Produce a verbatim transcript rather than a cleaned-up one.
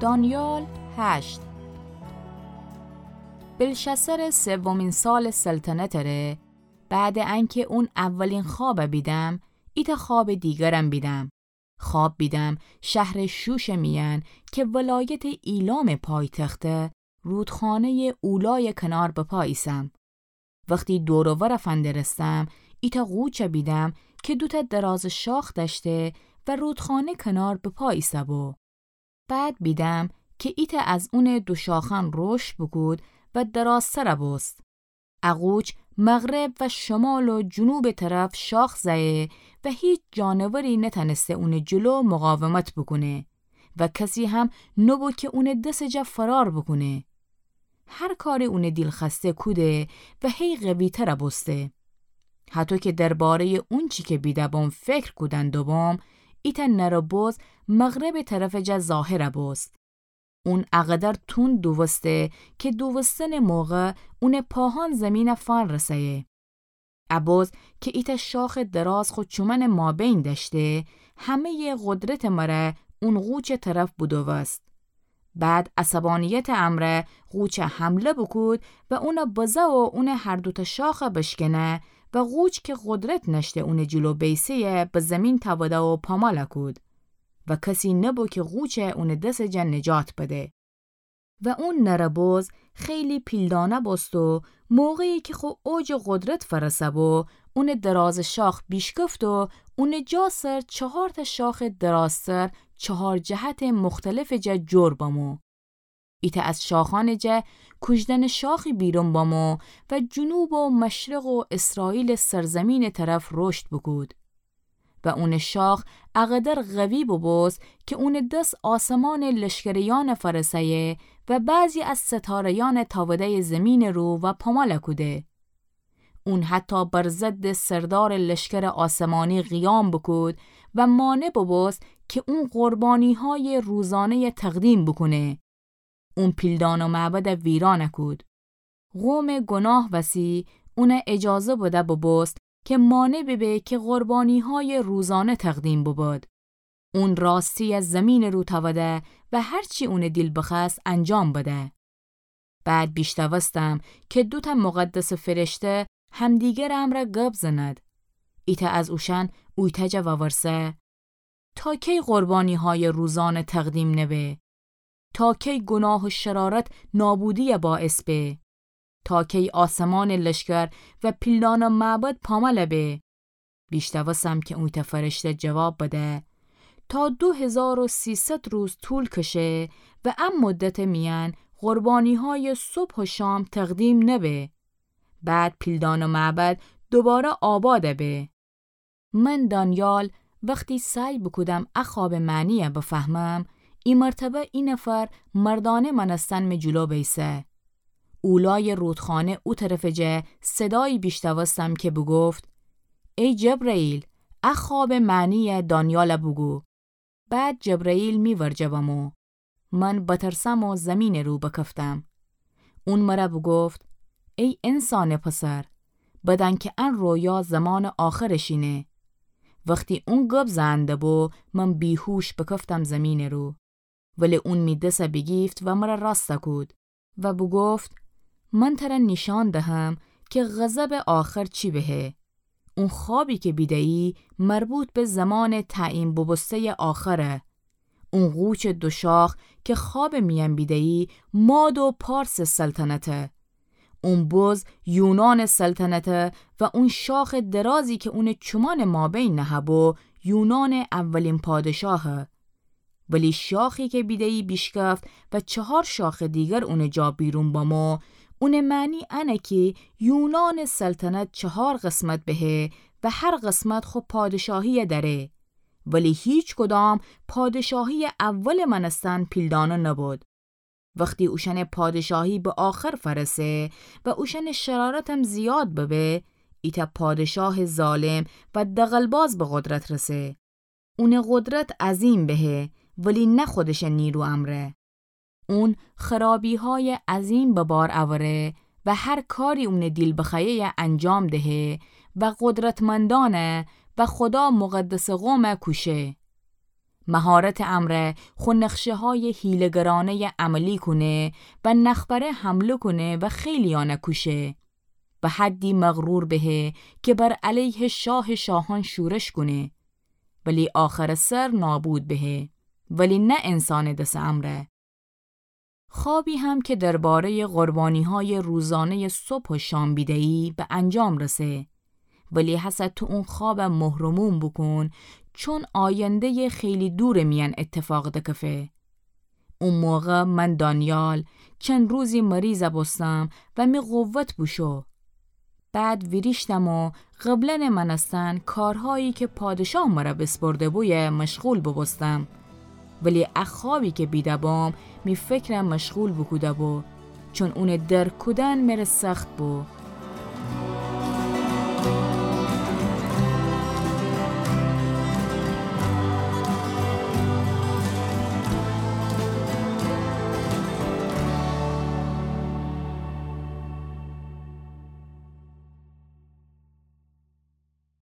دانیال هشت. بلشسر سومین سال سلطنت ره، بعد انکه اون اولین خوابه بیدم، ایتأ خواب دیگرم بیدم. خواب بیدم شهر شوش میأن که ولایت ایلام پایتخته، رودخانهٔ اولای کنار بپا ایسم. وختی دور و ور فندرستم، ایتأ غوچه بیدم که دوتأ دراز شاخ دأشته و رودخانه کنار بپا ایسه بو. بعد بیدم که ایتأ از اونٚ دو شاخأن رشد بوکود و درازتر بوست. ا غوچ مغرب و شمال و جنوبٚ طرف شاخ زأیه و هیچ جانوری نتأنسته اونٚ جلو مقاومت بوکونه و کسی هم نبو که اونٚ دسٚ جا فرار بوکونه. هر کاری اونٚ دیل خوأسته کوده و هی قوی‌تر بوسته. هطو که دربارهٔ اونچی که بیده بوم فکر کودن دوبوم، ایتأ نره بز مغربٚ طرفٚ جا ظاهر بوست. اون اقدر تند دووسته که دووستنٚ موقع اونٚ پاهأن زیمینه فان رسه‌یه. ا بز که ایتأ شاخٚ دراز خو چومأنٚ مابین دأشته، همهٔ قدرتٚ مره اون غوچٚ طرف بودووست. بعد عصبانیتٚ امرأ غوچه حمله بوکود و اونه بزه و اونٚ هر دوتأ شاخه بشکنه و غوچ که قدرت نأشته اونٚ جلو بیسه‌یه به زیمین تأوده و پاماله کود و کسی نبو که غوچه اونٚ دسٚ جا نجات بده. و اون نره بز خیلی پیلدانه بوست و موقعی که خو اوجٚ قدرت فرسه بو، اونٚ درازٚ شاخ بیشکفت و اونٚ جا سر چهارتأ شاخٚ درازتر چهار جهتٚ مختلفٚ جا جور بمو. ایتأ از شاخأنٚ جا کوژدنٚ شاخی بیرون بمو و جنوب و مشرق و اسرائیلٚ سرزیمینٚ طرف رشد بوکود. و اونٚ شاخ اقدر قوی بوبوست که اونٚ دس آسمانٚ لشکریأنه فرسه‌یه و بعضی از ستاره‌یأنه تأوده‌یه زیمینٚ رو و پاماله کوده. اون حتی بر ضدٚ سردارٚ لشکرٚ آسمانی قیام بوکود و مانع بوبوست که اون قربانی‌هایٚ روزانه‌یه تقدیم بوکونه. اون پیلدان و معبده ویرانه کود. قومٚ گناه وسی اونه اجازه بده بوبوست که مانع ببه که قربانی‌هایٚ روزانه تقدیم ببد. اون راستی از زیمینٚ رو تأوده و هرچی اونٚ دیل بخوأست انجام بده. بعد بیشنوستم که دوتأ مقدسٚ فرشته همدیگرٚ امرأ گب زند. ایتأ از اوشأن اویتأ جا وورسه: تا کی قربانی‌هایٚ روزانه تقدیم نبه؟ تا کی گناه و شرارت نابودی‌یه باعث به؟ تا کی آسمانٚ لشکر و پیلدان و معبد پاماله به؟ بیشنوستم که اویتأ فرشته جواب بده: تا دو هزار و سیصد روز طول کشه و ا مدتٚ میأن قربانی‌هایٚ صبح و شام تقدیم نبه. بعد پیلدان و معبد دوباره آباد به. من دانیال وختی سعی بوکودم ا خوابٚ معنی‌یه بفهمم، ای مرتبه ای نفر مردانه مأنستن مه جلو بیسه. اولایٚ رودخانه او طرفٚ جه صدایی بیشنوستم که بوگفت: ای جبرئیل، ا خوابٚ معنی‌یه دانیاله بوگو. بعد جبرئیل می ورجه بمو. من بترسم و زیمینٚ رو بکفتم. اون مره بوگفت: ای انسانٚ پسر، بدأن که ان رویا زمانٚ آخرٚ شینه. وختی اون گب زئن دبو، من بیهوش بکفتم زیمینٚ رو. ولی اون می دسه بیگیفت و مره راسته کود و بوگفت: من تره نیشأن دهم که غضبٚ آخر چی بهه. اون خوابی که بیده‌یی مربوط به زمانٚ تعیین بوبوسته‌یٚ آخره. اون غوچٚ دوشاخ که خوابٚ میأن بیده‌یی ماد و پارسٚ سلطنته. اون بز یونانٚ سلطنته و اون شاخٚ درازی که اونٚ چومأنٚ مابین نهه‌بو یونانٚ اولین پادشاهه. ولی شاخی که بیده‌یی بیشکفت و چهار شاخٚ دیگر اونٚ جا بیرون بمو، اونٚ معنی انه که یونانٚ سلطنت چهار قسمت بهه و هر قسمت خو پادشاهی دأره. ولی هیچ کدام پادشاهی اول مأنستن پیلدانه نبود. وختی اوشأنٚ پادشاهی به آخر فرسه و اوشأنٚ شرارتم زیاد ببه، ایتأ پادشاه ظالم و دغل‌باز به قدرت رسه. اونٚ قدرت عظیم بهه، ولی نه خودشٚ نیرو امرأ. اون خرابی‌هایٚ عظیم به بار اوره و هر کاری اونٚ دیل بخوأیه‌یه انجام دهه و قدرتمندأنه و خدا مقدسٚ قومه کوشه. مهارتٚ امرأ خو نقشه‌هایٚ حیله‌گرانه‌یَ عملی کونه و نخبره حمله کونه و خیلیأنَ کوشه. به حدی مغرور بهه که بر علیه شاهٚ شاهأن شورش کونه، ولی آخرٚ سر نابود بهه، ولی نه انسانٚ دسٚ امرأ. خوابی هم که درباره‌یٚ قربانی‌هایٚ روزانه‌یٚ صبح و شام بیده‌یی به انجام رسه. ولی هسه تو اون خوابَ مهرموم بوکون، چون آینده‌یٚ خیلی دورٚ میأن اتفاق دکفه. او موقع من دانیال چند روزی مریضَ بوستم و می قوت بوشو. بعد ویریشتم و قبلاً مأنستن کارهایی که پادشاه مرَ بیسپرده بویه مشغول بوبوستم. ولی ا خوابی که بیده بوم می فکرَ مشغول بوکوده بو، چون اونٚ درک کودن مره سخت بو.